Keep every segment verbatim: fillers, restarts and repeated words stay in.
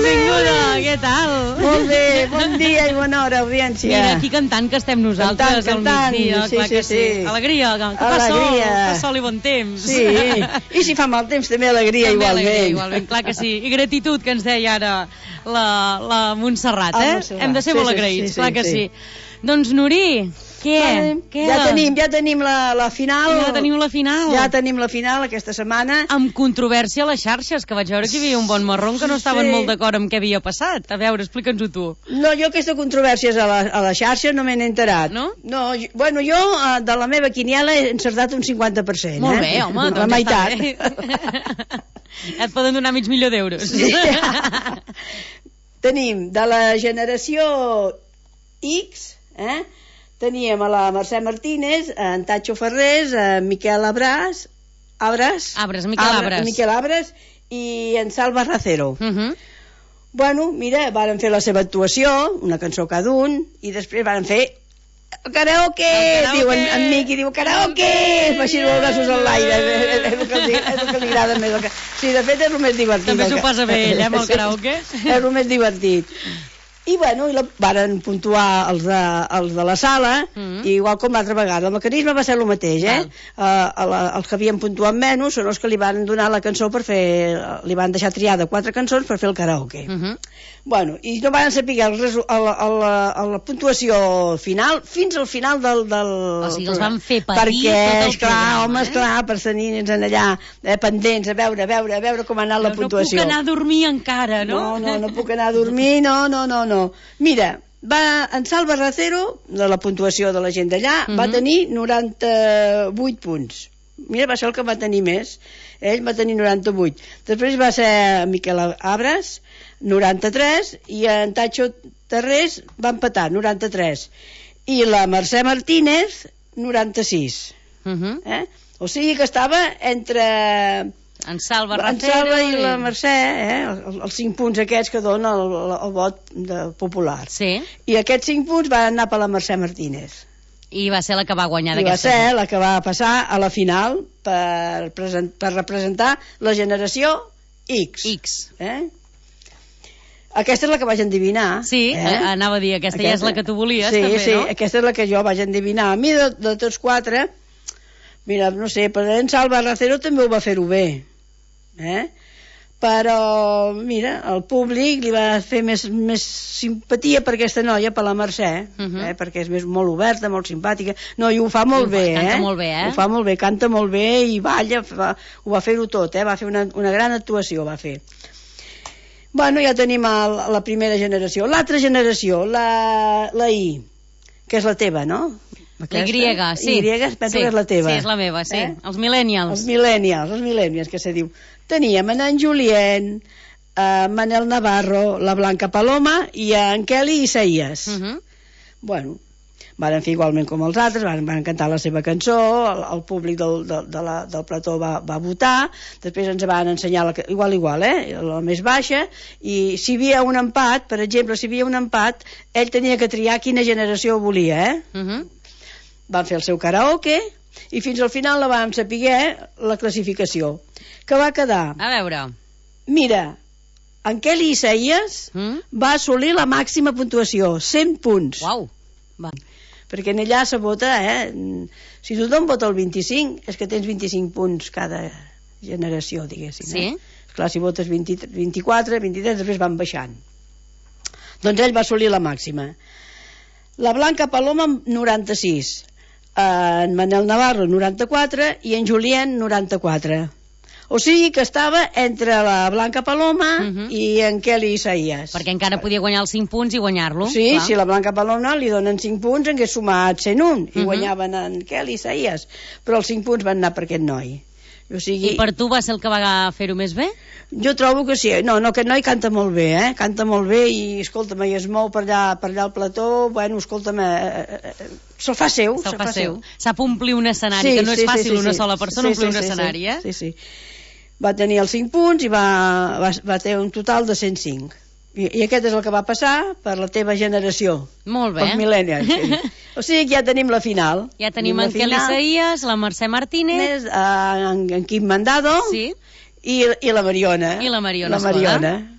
benvinguda, què tal? Molt bé, bon dia i bona hora, audiència. Mira, aquí cantant que estem nosaltres cantant, cantant. al migdia, sí, clar sí, que sí. sí. Alegria, que fa sol, fa sol i bon temps. Sí, i si fa mal temps també alegria també igualment. Alegria, igualment, clar que sí. I gratitud, que ens deia ara la, la Montserrat, eh? Montserrat. Hem de ser sí, molt sí, agraïts, sí, clar sí, que sí. sí. Doncs, Nuri, què? Vale, què ja tenim, ja tenim la, la final. Ja tenim la final. Ja tenim la final aquesta setmana. Amb controvèrsia a les xarxes, que vaig veure que hi havia un bon marrón que no estaven sí. molt d'acord amb què havia passat. A veure, explica'ns-ho tu. No, jo aquesta controvèrsies a la, a la xarxa no me n'he enterat. No? No, jo, bueno, jo de la meva quiniela he encertat un cinquanta per cent. Molt eh? bé, home, la doncs meitat. Et poden donar mig milió d'euros. Sí. Tenim de la generació X, eh? Teníem a la Mercè Martínez, en Tacho Ferrés, en Miquel Abras, Abras, Abres, Miquel Abres. Miquel Abres i en Salva Racero. Uh -huh. Bueno, mira, varen fer la seva actuació, una cançó cada un, i després varen fer el karaoke, el karaoke. Diu en, en Miqui, diu karaoke, fa així els braços en l'aire, és, és, el que li, és el que li agrada més. Que... Sí, de fet és el més divertit. També s'ho passa bé ell, eh, amb el karaoke. És el més divertit. I bueno, i la, varen puntuar els de, els de la sala, mm -hmm. igual com l'altra vegada. El mecanisme va ser el mateix, eh? Uh, a la, els que havien puntuat menys són els que li van donar la cançó per fer... Li van deixar triar de quatre cançons per fer el karaoke. Mm -hmm. Bueno, i no van saber el resu, a, la, a, la, a la puntuació final, fins al final del... del o sigui, els van fer patir perquè, tot el esclar, programa, home, eh? esclar, per tenir allà eh, pendents, a veure, a veure, a veure com ha anat no, la puntuació. No puc anar a dormir encara, no? No, no, no puc anar a dormir, no, no, no, no. Mira, va, en Salva Racero, de la puntuació de la gent d'allà, uh -huh. va tenir noranta-vuit punts. Mira, va ser el que va tenir més. Ell va tenir noranta-vuit. Després va ser Miquel Abres, noranta-tres, i en Tacho Terrés va empatar, noranta-tres. I la Mercè Martínez, noranta-sis. Uh -huh. eh? O sigui que estava entre... En Salva Racero en Salva i la Mercè, eh? els, els cinc punts aquests que dona el, el, el vot de popular. Sí. I aquests cinc punts van anar per la Mercè Martínez. I va ser la que va guanyar I va d'aquesta. ser la que va passar a la final per, present, per representar la generació X. X. Eh? Aquesta és la que vaig endevinar. Sí, eh? anava a dir, aquesta, aquesta ja és la que tu volies, sí, també, sí, no? Sí, aquesta és la que jo vaig endevinar. A mi, de, de tots quatre, mira, no sé, però en Salva Racero també ho va fer-ho bé. Eh? Però mira, el públic li va fer més, més simpatia per aquesta noia, per la Mercè, uh -huh. eh? perquè és més, molt oberta, molt simpàtica, no, i ho fa molt bé, canta eh? molt bé, eh? Ho fa molt bé, canta molt bé i balla, fa, ho va fer-ho tot, eh? Va fer una, una gran actuació, va fer. Bueno, ja tenim el, la primera generació. L'altra generació, la, la I, que és la teva, no? Aquesta? La Y, sí. Y, penso sí. que és la teva. Sí, és la meva, sí. Eh? Els millennials. Els millennials, els millennials, que se diu. Teníem en, en Julien, en Manel Navarro, la Blanca Paloma i en Kelly Isaías. Uh -huh. Bueno, van fer igualment com els altres, van, van cantar la seva cançó, el, el públic del, de, de la, del plató va, va votar, després ens van ensenyar la, igual, igual, eh, la més baixa, i si hi havia un empat, per exemple, si hi havia un empat, ell tenia que triar quina generació volia, eh? Uh -huh. Van fer el seu karaoke i fins al final la vam saber la classificació, que va quedar... A veure... Mira, en Kelly Isaías mm? va assolir la màxima puntuació, cent punts. Uau! Va. Perquè en allà se vota, eh? Si tothom vota el vint-i-cinc, és que tens vint-i-cinc punts cada generació, diguéssim. Sí? Eh? Esclar, si votes vint, vint-i-quatre, vint-i-tres, després van baixant. Doncs ell va assolir la màxima. La Blanca Paloma, noranta-sis. En Manel Navarro, noranta-quatre, i en Julien, noranta-quatre. O sigui que estava entre la Blanca Paloma uh -huh. i en Kelly Isaías. Perquè encara podia guanyar els cinc punts i guanyar-lo. Sí, clar. si la Blanca Paloma li donen cinc punts, hagués sumat cent un, i uh -huh. guanyaven en Kelly Isaías. Però els cinc punts van anar per aquest noi. O sigui... I per tu va ser el que va fer-ho més bé? Jo trobo que sí. No, no, aquest noi canta molt bé, eh? Canta molt bé i, escolta'm, i es mou per allà, per allà al plató, bueno, escolta'm, eh, eh, eh, se'l fa seu. Se'l se fa, fa seu. seu. Sap omplir un escenari, sí, que no és sí, fàcil sí, sí, una sí. sola persona sí, omplir sí, un sí, escenari, sí, eh? Sí, sí. Va tenir els cinc punts i va, va, va tenir un total de cent cinc. I, I aquest és el que va passar per la teva generació. Molt bé. Els millennials, sí. O sigui que ja tenim la final. Ja tenim en Kelly Isaías, la Mercè Martínez... Més, uh, en, en Quim Mandado sí. i, i la Mariona. I la Mariona. La Mariona.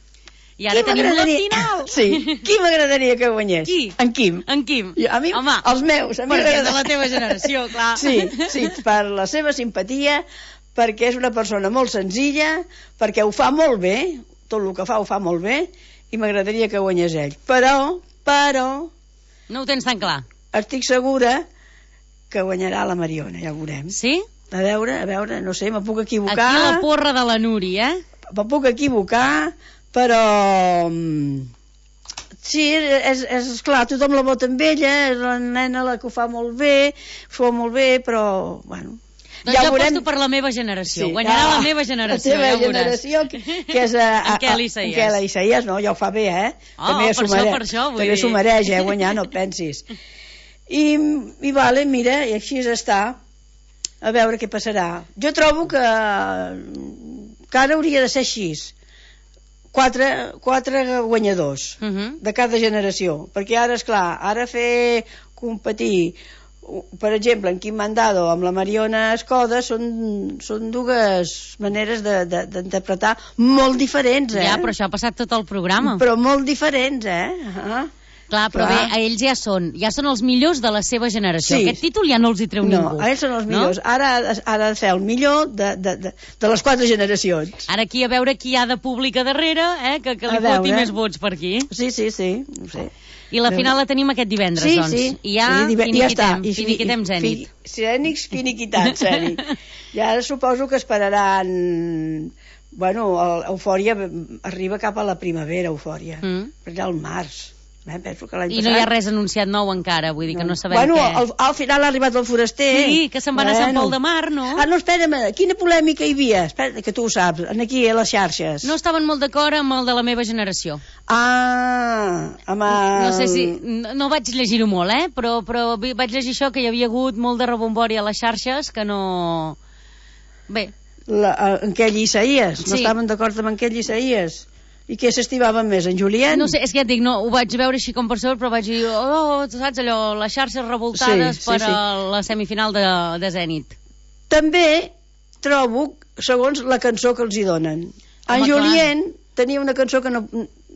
I ara tenim la final. Sí, qui m'agradaria que guanyés? Qui? En Quim. En Quim. Jo, a mi, Home, els meus. A mi perquè és de la teva generació, clar. Sí, sí, per la seva simpatia, perquè és una persona molt senzilla, perquè ho fa molt bé, tot el que fa ho fa molt bé, i m'agradaria que guanyés ell. Però, però... No ho tens tan clar. Estic segura que guanyarà la Mariona, ja ho veurem. Sí? A veure, a veure, no sé, me puc equivocar. Aquí la porra de la Núria, eh? Me puc equivocar, però... Sí, és, és clar, tothom la vota amb ella, és la nena la que ho fa molt bé, ho fa molt bé, però, bueno... Doncs ja jo veurem... aposto per la meva generació, sí. Guanyarà ah, la meva generació, la teva ja generació, que, que és... A, a, en Quel Isaías. En Quel Isaías, no, ja ho fa bé, eh? Oh, també per això, per això, vull també dir... s'ho mereix, eh, guanyar, no pensis. I, I vale, mira, i així està, a veure què passarà. Jo trobo que, que ara hauria de ser així. Quatre, quatre guanyadors uh -huh. de cada generació, perquè ara, és clar, ara fer competir, per exemple, en Quim Mandado amb la Mariona Escoda són, són dues maneres d'interpretar de, de, molt diferents, eh? Ja, però això ha passat tot el programa. Però molt diferents, eh? Uh-huh. Clar, però clar. Bé, ells ja són, ja són els millors de la seva generació. Sí. Aquest títol ja no els hi treu no, ningú. No, ells són els millors. No? Ara ha de ser el millor de, de, de, de les quatre generacions. Ara aquí a veure qui hi ha de públic a darrere, eh, que, que li foti més vots per aquí. Sí, sí, sí. No sé. I la final la tenim aquest divendres, sí, doncs. Sí, I ja sí, finiquitem, ja finiquitem Zènit. Zènit, finiquitat, Zènit. I ara suposo que esperaran... Bueno, Eufòria arriba cap a la primavera, Eufòria. Mm. Per allà al març. Eh, penso que l'any I no hi ha res anunciat nou encara, vull dir que no sabem bueno, què... Bueno, al, al final ha arribat el foraster. Sí, que se'n van bueno. a Sant Pol de Mar, no? Ah, no, espera'm, quina polèmica hi havia? Espera, que tu ho saps, aquí a les xarxes. No estaven molt d'acord amb el de la meva generació. Ah, amb el... No sé si... No, no vaig llegir-ho molt, eh? Però, però vaig llegir això, que hi havia hagut molt de rebombori a les xarxes, que no... Bé. La, en Quel Isaías, no sí. estaven d'acord amb en Quel Isaías. I què s'estimaven més, en Julien? No sé, és que ja et dic, no, ho vaig veure així com per sobre, però vaig dir, oh, saps allò, les xarxes revoltades sí, sí, per sí. A la semifinal de, de Zènit. També trobo, segons la cançó que els hi donen. Home, en Julien clar. Tenia una cançó que no...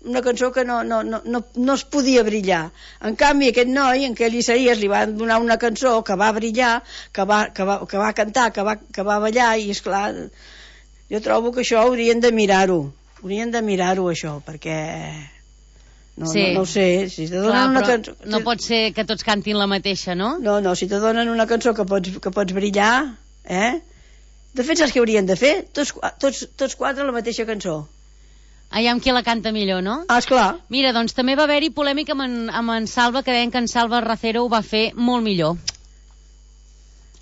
una cançó que no, no, no, no, no es podia brillar. En canvi, aquest noi, en Quel Isaías, li van donar una cançó que va brillar, que va, que va, que va cantar, que va, que va ballar, i esclar, jo trobo que això haurien de mirar-ho. Haurien de mirar-ho, això, perquè... No, sí. no, no ho sé. Si te donen clar, una cançó... No pot ser que tots cantin la mateixa, no? No, no, si te donen una cançó que pots, que pots brillar, eh? De fet, saps què haurien de fer? Tots, tots, tots quatre la mateixa cançó. Aviam qui la canta millor, no? Ah, esclar. Mira, doncs també va haver-hi polèmica amb en, amb en Salva, que deien que en Salva Racero ho va fer molt millor.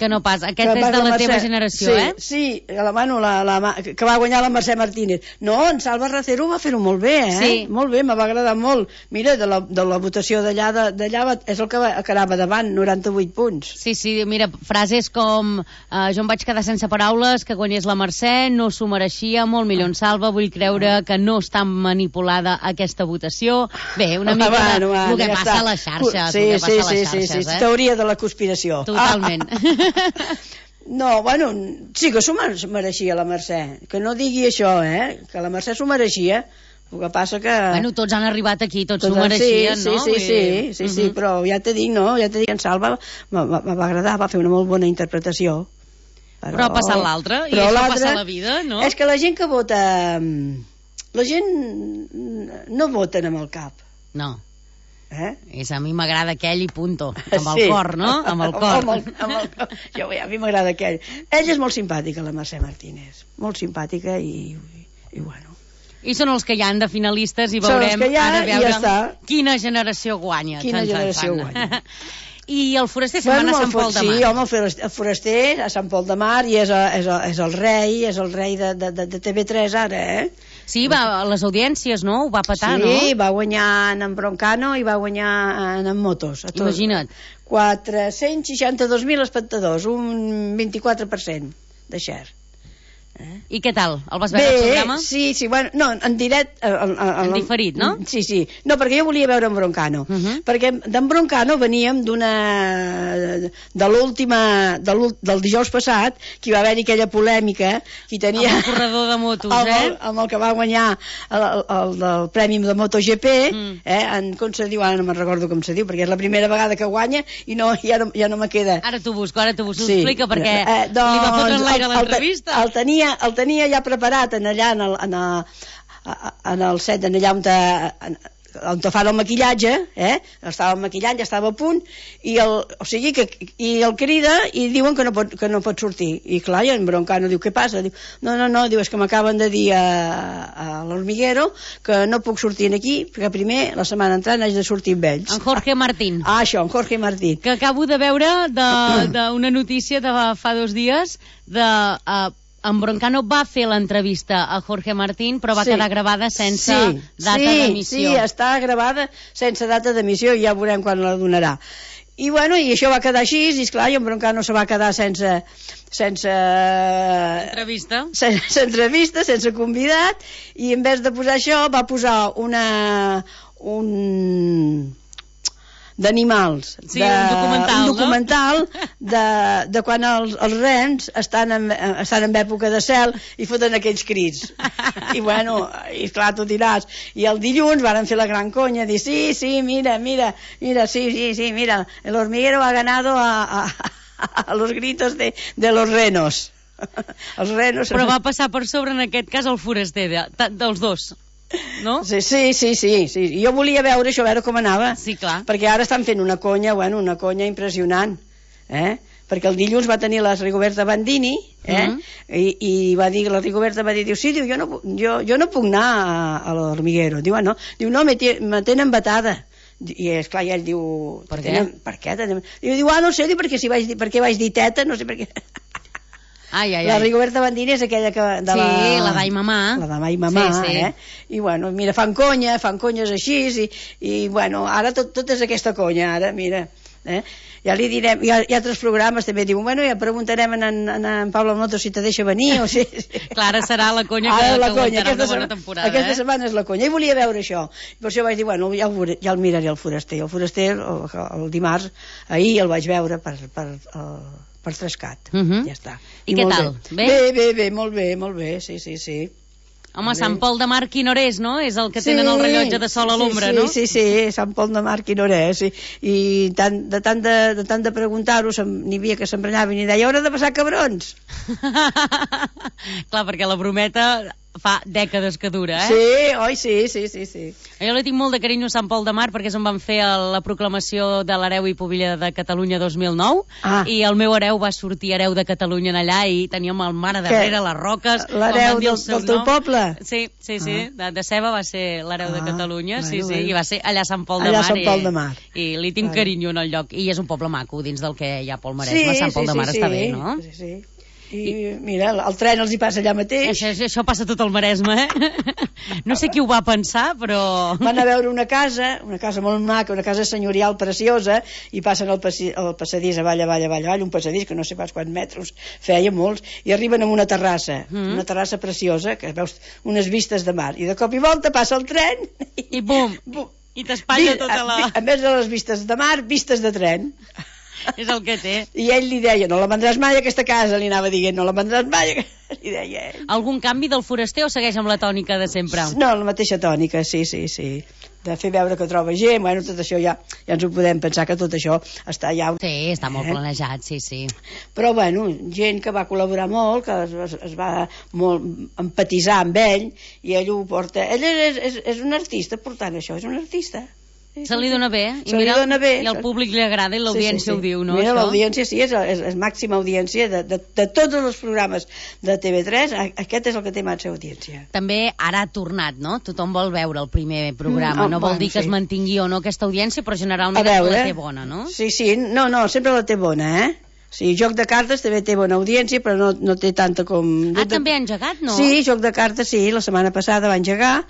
Que no pas, aquest que és de la, la teva generació, sí, eh? Sí, la, bueno, la, la, que va guanyar la Mercè Martínez. No, en Salva Racero va fer-ho molt bé, eh? Sí. Molt bé, me va agradar molt. Mira, de la, de la votació d'allà, d'allà és el que, va, que anava davant, noranta-vuit punts. Sí, sí, mira, frases com eh, jo em vaig quedar sense paraules, que guanyés la Mercè, no s'ho mereixia, molt millor en Salva, vull creure que no està manipulada aquesta votació. Bé, una mica ah, bueno, de, el que ja passa està. A les xarxes, sí, el que passa sí, a les sí, xarxes, sí, sí, eh? Teoria de la conspiració. Totalment. Ah. No, bueno, sí que s'ho mereixia la Mercè, que no digui això, eh, que la Mercè s'ho mereixia, el que passa que... Bueno, tots han arribat aquí, tots s'ho mereixien, sí, no? Sí, sí, sí, sí, sí, uh-huh. Però ja te dic, no, ja te dic, en Salva me va agradar, va fer una molt bona interpretació. Però, però ha passat l'altre, i això passa a la vida, no? És que la gent que vota, la gent no voten amb el cap. No. Eh? És, a mi m'agrada aquell i punto, amb el sí. cor, no? Amb el cor. amb el, amb el cor. Jo, a mi m'agrada aquell. Ella és molt simpàtica, la Mercè Martínez, molt simpàtica i, i, i bueno. I són els que hi han de finalistes i veurem ha, ara veure ja quina generació guanya. Quina tant, generació tant. guanya. I el foraster se'n bueno, va a Sant Pol de Mar. Sí, home, el foraster a Sant Pol de Mar i és, a, és, a, és el rei, és el rei de, de, de T V tres ara, eh? Sí, va a les audiències, no? Ho va petar, sí, no? Sí, va guanyar en Broncano i va guanyar en, en Motos. A Imagina't. quatre-cents seixanta-dos mil espectadors, un vint-i-quatre per cent de share. Eh? I què tal? El vas veure Bé, al programa? sí, sí, bueno, no, en directe... En, en, en diferit, no? Sí, sí. No, perquè jo volia veure en Broncano. Uh -huh. Perquè d'en Broncano veníem d'una... de l'última... De del dijous passat, que hi va haver-hi aquella polèmica, que tenia... Amb el corredor de motos, amb eh? El, amb el que va guanyar el, el, el, el Premi de MotoGP, mm. eh? En, com se diu? Ara no me'n recordo com se diu, perquè és la primera vegada que guanya i no, ja, no, ja no me queda... Ara t'ho busco, ara t'ho busco. Sí. Explica, perquè eh, doncs, li va fotre en l'aire l'entrevista. El, el, tenia, el tenia ja preparat en allà en el, en el, en el set, en allà on, te, on te fan el maquillatge, eh? Estava maquillant, ja estava a punt, i el, o sigui que i el crida i diuen que no pot, que no pot sortir. I clar, i en Broncano diu, què passa? Diu, no, no, no, diu, és que m'acaben de dir a, a l'Hormiguero que no puc sortir aquí, perquè primer, la setmana entrant, haig de sortir amb ells. En Jorge Martín. Ah, això, en Jorge Martín. Que acabo de veure d'una notícia de fa dos dies de... Uh, en Broncano va fer l'entrevista a Jorge Martín, però va sí. quedar gravada sense sí, data sí, d'emissió. Sí, està gravada sense data d'emissió i ja veurem quan la donarà. I bueno, i això va quedar així, i esclar, i en Broncano se va quedar sense... sense... Entrevista. Sense entrevista, sense convidat, i en vez de posar això va posar una... un... d'animals, sí, de, un documental, un documental no? de, de quan els, els rens estan en, estan en època de cel i foten aquells crits. I bueno, i clar, tu diràs. I el dilluns varen fer la gran conya, dir, sí, sí, mira, mira, mira, sí, sí, sí, mira, el hormiguero ha ganado a, a, a los gritos de, de los renos. Els renos... Però va passar per sobre, en aquest cas, el foraster, de, dels dos. No? Sí, sí, sí, sí, sí. Jo volia veure això, veure com anava. Sí, clar. Perquè ara estan fent una conya, bueno, una conya impressionant, eh? Perquè el dilluns va tenir la Rigoberta Bandini, eh? Uh -huh. I, i va dir, la Rigoberta va dir, diu, sí, diu, jo no, jo, jo no puc anar a, a l'Hormiguero. Diu, ah, no, diu, no, me, me tenen vetada. I esclar, i ell diu, per què? Tenen, per què? Tenen... Diu, diu, ah, no sé, diu, perquè si vaig dir, perquè vaig dir teta, no sé per què... Ai, ai, ai. La Rigoberta Bandini és aquella que... De sí, la, la d'Ai Mamà. La d'Ai Mamà, sí, sí. Eh? I bueno, mira, fan conya, fan conyes així, i, i bueno, ara tot, tot és aquesta conya, ara, mira. Eh? Ja li direm, hi ha, hi ha altres programes també diuen, bueno, ja preguntarem en, en, en Pablo Moto si te deixa venir o si... Clar, ara serà la conya que, la que conya, aquesta una bona temporada. Aquesta eh? setmana és la conya, i volia veure això. I per això vaig dir, bueno, ja el, veuré, ja el miraré el foraster. El foraster, el, el dimarts, ahir el vaig veure per... per el, per Trescat, uh -huh. ja està. I, I què tal? Bé? bé? Bé, bé, molt bé, molt bé, sí, sí, sí. Home, Sant Pol de Mar, quin hora és, no? És el que sí, tenen el rellotge de sol a l'ombra, sí, no? Sí, sí, sí, Sant Pol de Mar, quin hora és. I, i tant, de tant de, de, tant de preguntar-ho, n'hi havia que s'embranyaven i deia, hora de passar cabrons. Clar, perquè la brometa fa dècades que dura, eh? Sí, oi, sí, sí, sí, sí. Jo li tinc molt de carinyo a Sant Pol de Mar perquè és on van fer la proclamació de l'hereu i pubilla de Catalunya dos mil nou ah. i el meu hereu va sortir hereu de Catalunya en allà i teníem el mar a darrere, les roques... L'hereu del, del teu poble? Sí, sí, sí, ah. de, de Ceba va ser l'hereu ah. de Catalunya, bueno, sí, sí, bueno. i va ser allà a Sant Pol de allà Mar. Sant Pol de Mar. I, i li tinc vale. carinyo en el lloc. I és un poble maco, dins del que hi ha Pol Maresme, sí, Sant Pol sí, de Mar sí, està sí. bé, no? Sí, sí. I mira, el tren els hi passa allà mateix. Això, això passa tot el Maresme, eh? No sé qui ho va pensar, però... Van a veure una casa, una casa molt maca, una casa senyorial preciosa, i passen el, passi, el passadís avall, avall, avall, avall, un passadís que no sé pas quants metres feia, molts, i arriben a una terrassa, mm. una terrassa preciosa, que veus unes vistes de mar, i de cop i volta passa el tren... I, i bum! bum. I t'espatlla tota la... A, a més de les vistes de mar, vistes de tren. És el que té. I ell li deia, no la vendràs mai aquesta casa, li anava dient, no la vendràs mai, li deia ell. Algun canvi del foraster o segueix amb la tònica de sempre? No, la mateixa tònica, sí, sí, sí. De fer veure que troba gent, bueno, tot això ja, ja ens ho podem pensar que tot això està ja... Sí, està molt eh? planejat, sí, sí. Però, bueno, gent que va col·laborar molt, que es, es, es va molt empatitzar amb ell, i ell ho porta... Ell és, és, és un artista portant això, és un artista. Se li dona bé, i, se mira, li dona bé. I al públic li agrada i l'audiència sí, sí, sí. ho diu, no? Mira, l'audiència sí, és, és, és màxima audiència de, de, de tots els programes de T V tres, aquest és el que té màxima audiència. També ara ha tornat, no? Tothom vol veure el primer programa, mm, no vol bueno, dir que sí. es mantingui o no aquesta audiència, però generalment veure, la té bona, no? Sí, sí, no, no, sempre la té bona, eh? Sí, Joc de Cartes també té bona audiència, però no, no té tanta com... Ah, de... també ha engegat, no? Sí, Joc de Cartes, sí, la setmana passada va engegar,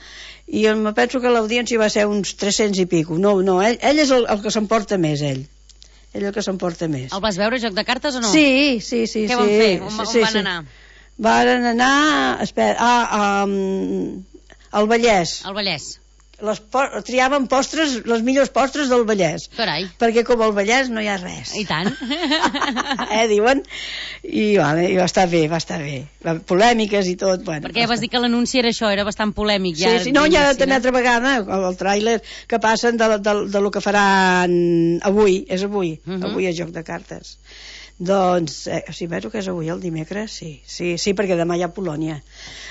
i em penso que l'audiència va ser uns tres-cents i pico. No, no, ell, ell és el, el que s'emporta més, ell. Ell el que s'emporta més. El vas veure, Joc de Cartes, o no? Sí, sí, sí. Què sí, van fer? On, sí, on sí, van sí. anar? Varen anar, espera, ah, um, al Vallès. Al Vallès. Les po triaven postres, les millors postres del Vallès. Carai. Perquè com al Vallès no hi ha res. I tant. eh, diuen? I, vale, i va estar bé, va estar bé. Polèmiques i tot. Bueno, perquè ja vas dir que l'anunci era això, era bastant polèmic. Ja, sí, sí, no, ja també altra vegada, el, el tràiler que passen de, de, de lo que faran avui, és avui, uh -huh. avui és joc de cartes. Doncs, eh, si veig que és avui, el dimecres, sí, sí, sí, perquè demà hi ha Polònia.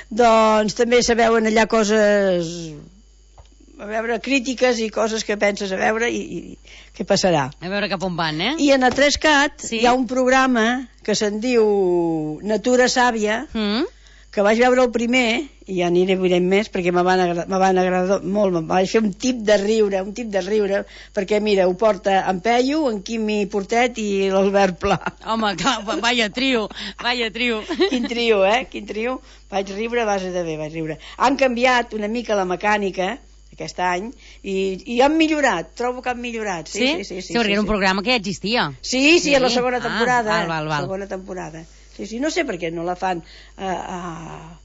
Doncs també se veuen allà coses, a veure, crítiques i coses que penses a veure i, i què passarà. A veure cap on van, eh? I en a tres cat sí? hi ha un programa que se'n diu Natura Sàvia, mm? que vaig veure el primer, i ja n'hi veurem més, perquè me van, agrada, me van agradar molt, me vaig fer un tip de riure, un tip de riure, perquè mira, ho porta en Peyu, en Quimi Portet i l'Albert Pla. Home, clar, vaya trio, vaya trio. Quin trio, eh? Quin trio. Vaig riure a base de bé, vaig riure. Han canviat una mica la mecànica, aquest any, i, i han millorat, trobo que han millorat. Sí, sí, sí. Sí, sí, sí perquè sí, era un sí. programa que ja existia. Sí, sí, sí. a la segona temporada. Ah, val, val, val. Segona temporada. Sí, sí, no sé per què no la fan a, a,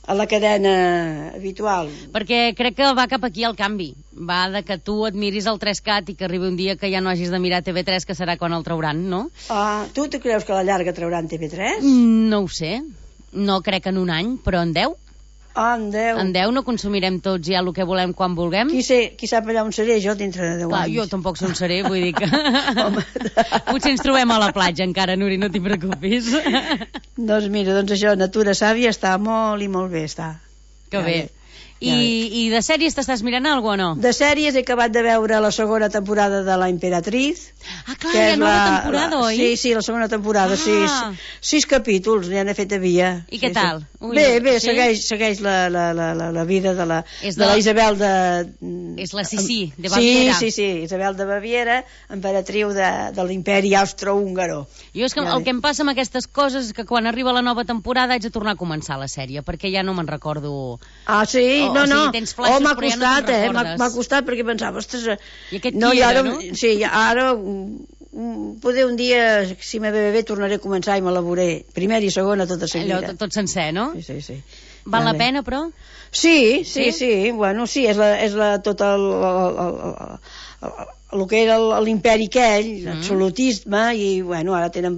a la cadena habitual. Perquè crec que va cap aquí el canvi. Va de que tu et miris el tres cat i que arribi un dia que ja no hagis de mirar T V tres, que serà quan el trauran, no? Ah, tu te creus que a la llarga trauran T V tres? Mm, no ho sé. No crec en un any, però en deu. Ah, en deu. En deu no consumirem tots ja el que volem quan vulguem. Qui, sé, qui sap allà on seré jo dintre de deu Clar, anys? jo tampoc sé on seré, vull dir que... Potser ens trobem a la platja encara, Nuri, no t'hi preocupis. Doncs mira, doncs això, Natura Sàvia està molt i molt bé, està. Que bé. I, I de sèries t'estàs mirant alguna o no? De sèries he acabat de veure la segona temporada de La Imperatriz. Ah, clar, hi ha nova la, temporada, la, oi? Sí, sí, la segona temporada, ah. sis, sis capítols, n'hi han fet a via. I què sí, tal? Sí. Ui, bé, bé, sí? segueix, segueix la, la, la, la, la vida de la, de, de la Isabel de... És la Sissi, de Baviera. Sí, sí, sí, Isabel de Baviera, emperatriu de, de l'imperi austro-húngaro. Jo és que ja el que em passa amb aquestes coses és que quan arriba la nova temporada haig de tornar a començar la sèrie, perquè ja no me'n recordo... Ah, sí? O, no, o sigui, no. tens flaixos, oh, m'ha però costat, ja no eh? M'ha, m'ha costat perquè pensava, ostres... I aquest no, qui era, ara, no? Sí, ara... Poder un dia, si me ve bé, tornaré a començar i me la veuré. Primera i segona, tota seguida. Allò, tot, tot sencer, no? Sí, sí, sí. Val ja la bé. pena, però? Sí, sí, sí, sí. Bueno, sí, és, la, és la, tot el, el, el, el, el que era l'imperi aquell, mm. l'absolutisme, i, bueno, ara tenen...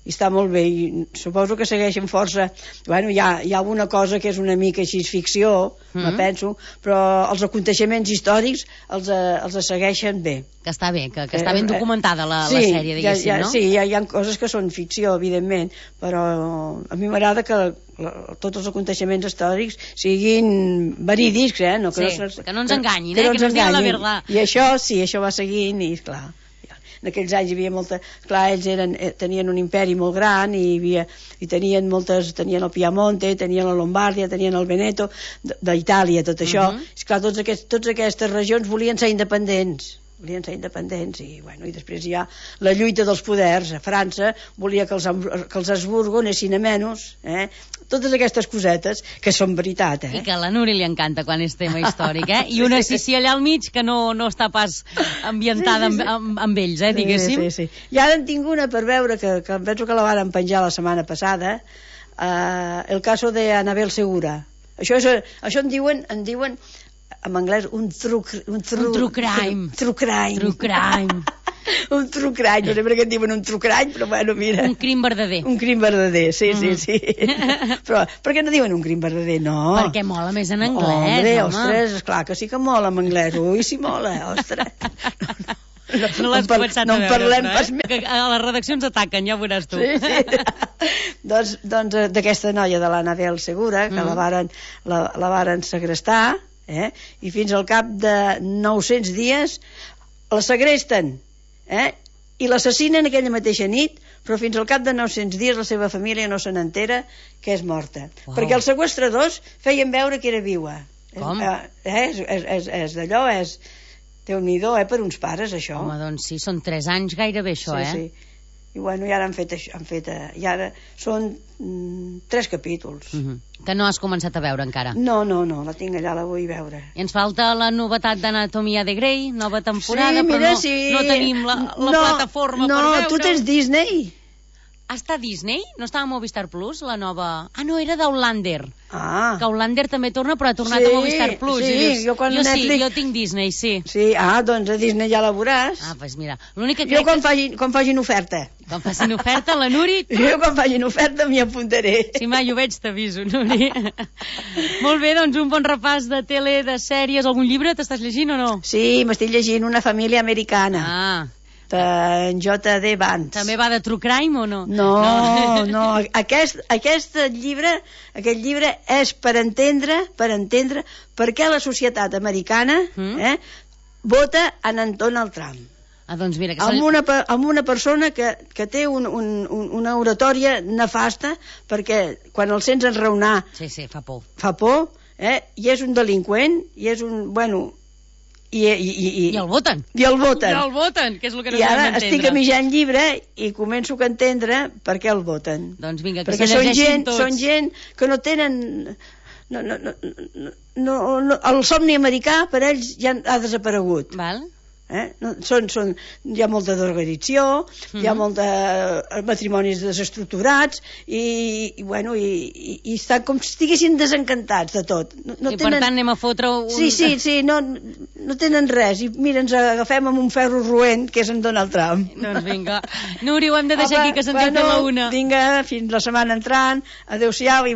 i està molt bé, i suposo que segueixen força, bueno, hi ha, hi ha alguna cosa que és una mica així ficció, mm. me penso, però els aconteixements històrics els, els segueixen bé. Que està bé, que, que està ben documentada la, sí, la sèrie, diguéssim, ja, ja, no? Sí, hi ha, hi ha coses que són ficció, evidentment, però a mi m'agrada que la, tots els aconteixements històrics siguin verídics, eh? No, que, sí, no, que no ens enganyin, que eh? no Que no ens diguin la verdad. I això, sí, això va seguint, i clar... En aquells anys hi havia molta... Clar, ells eren, tenien un imperi molt gran i, hi havia, i tenien moltes... Tenien el Piamonte, tenien la Lombardia, tenien el Veneto, d'Itàlia, tot això. Uh -huh. Clar, tots aquests, totes aquestes regions volien ser independents. Volien ser independents i, bueno, i després hi ha la lluita dels poders. A França volia que els, que els Habsburgo anessin a menys, eh? Totes aquestes cosetes que són veritat, eh? I que a la Núria li encanta quan és tema històric, eh? I una Sissi allà al mig que no, no està pas ambientada sí, sí, sí. Amb, amb, amb ells, eh, diguéssim. Sí, sí, sí. I ara en tinc una per veure, que, que penso que la van penjar la setmana passada, uh, el caso de Anabel Segura. Això, és, això en diuen... En diuen en anglès, un true, un true, un true crime. True crime. True crime. un true crime, no sé per què en diuen un true crime, però bueno, mira. Un crim verdader. Un crim verdader, sí, mm. sí, sí. Però per què no diuen un crim verdader? No. Perquè mola més en anglès, Hombre, home. ostres, esclar que sí que mola en anglès. Ui, sí mola, ostres. No, no, no l'has no, començat no a veure, parlem però, eh? pas més. Que a les redaccions ataquen, ja ho veuràs tu. Sí, sí. doncs doncs d'aquesta noia de l'Anabel Segura, que mm. la, varen, la, la varen segrestar, eh? I fins al cap de nou-cents dies la segresten, eh? I l'assassinen aquella mateixa nit, però fins al cap de nou-cents dies la seva família no se n'entera que és morta. Wow. Perquè els seqüestradors feien veure que era viva. Com? Eh, és és, és, és d'allò, és... Déu-n'hi-do, eh, per uns pares, això. Home, doncs sí, són tres anys gairebé, això, sí, eh? Sí. I bueno, i ara han fet això, han fet, eh, i ara són mm, tres capítols. Uh -huh. Que no has començat a veure encara. No, no, no, la tinc allà, la vull veure. I ens falta la novetat d'Anatomia de Grey, nova temporada, sí, mira, però no, sí. no tenim la, la no, plataforma no, per veure. No, tu tens Disney. està a Disney? No estava a Movistar Plus, la nova... Ah, no, era d'Outlander. Ah. Que Outlander també torna, però ha tornat Sí, a Movistar Plus. sí, I dius, jo quan jo sí, Netflix- jo tinc Disney, sí. Sí, ah, doncs a Disney ja la veuràs. Ah, doncs mira, l'únic que Jo crec quan, que... facin, quan facin oferta. Quan facin oferta, la Nuri... Jo quan facin oferta m'hi apuntaré. Si mai ho veig, t'aviso, Nuri. Molt bé, doncs un bon repàs de tele, de sèries. Algun llibre t'estàs llegint o no? Sí, m'estic llegint Una família americana, Ah, de J D Vance. també va de True Crime o no? No, no, no. Aquest, aquest llibre, aquest llibre és per entendre, per entendre per què la societat americana Mm. eh, vota en Donald Trump. Ah, doncs mira, que Amb se'l- una, pe- amb una persona que, que té un, un, un, una oratòria nefasta, perquè quan el sents enraonar Sí, sí, fa por. fa por, eh, i és un delinqüent, i és un... Bueno, i, i, i, i, I el voten. I el voten. I el voten, que és el que no I ara sabem entendre. estic a mitjan llibre i començo a entendre per què el voten. Doncs vinga, que Perquè se són llegeixin gent, tots. són gent que no tenen... No, no, no, no, no, no, el somni americà per ells ja ha desaparegut. Val? Eh? No, són, són, hi ha molta desorganització, hi ha Mhm. molta eh, matrimonis desestructurats i, i bueno, i, i, i estan com si estiguessin desencantats de tot. No, no I per tant anem a fotre un... Sí, sí, sí, no, no tenen res. I mira, ens agafem amb un ferro roent, que és en Donald Trump. Doncs vinga. Nuri, ho hem de deixar Apa, aquí, que se'ns ha fet la una. Vinga, fins la setmana entrant. Adéu-siau i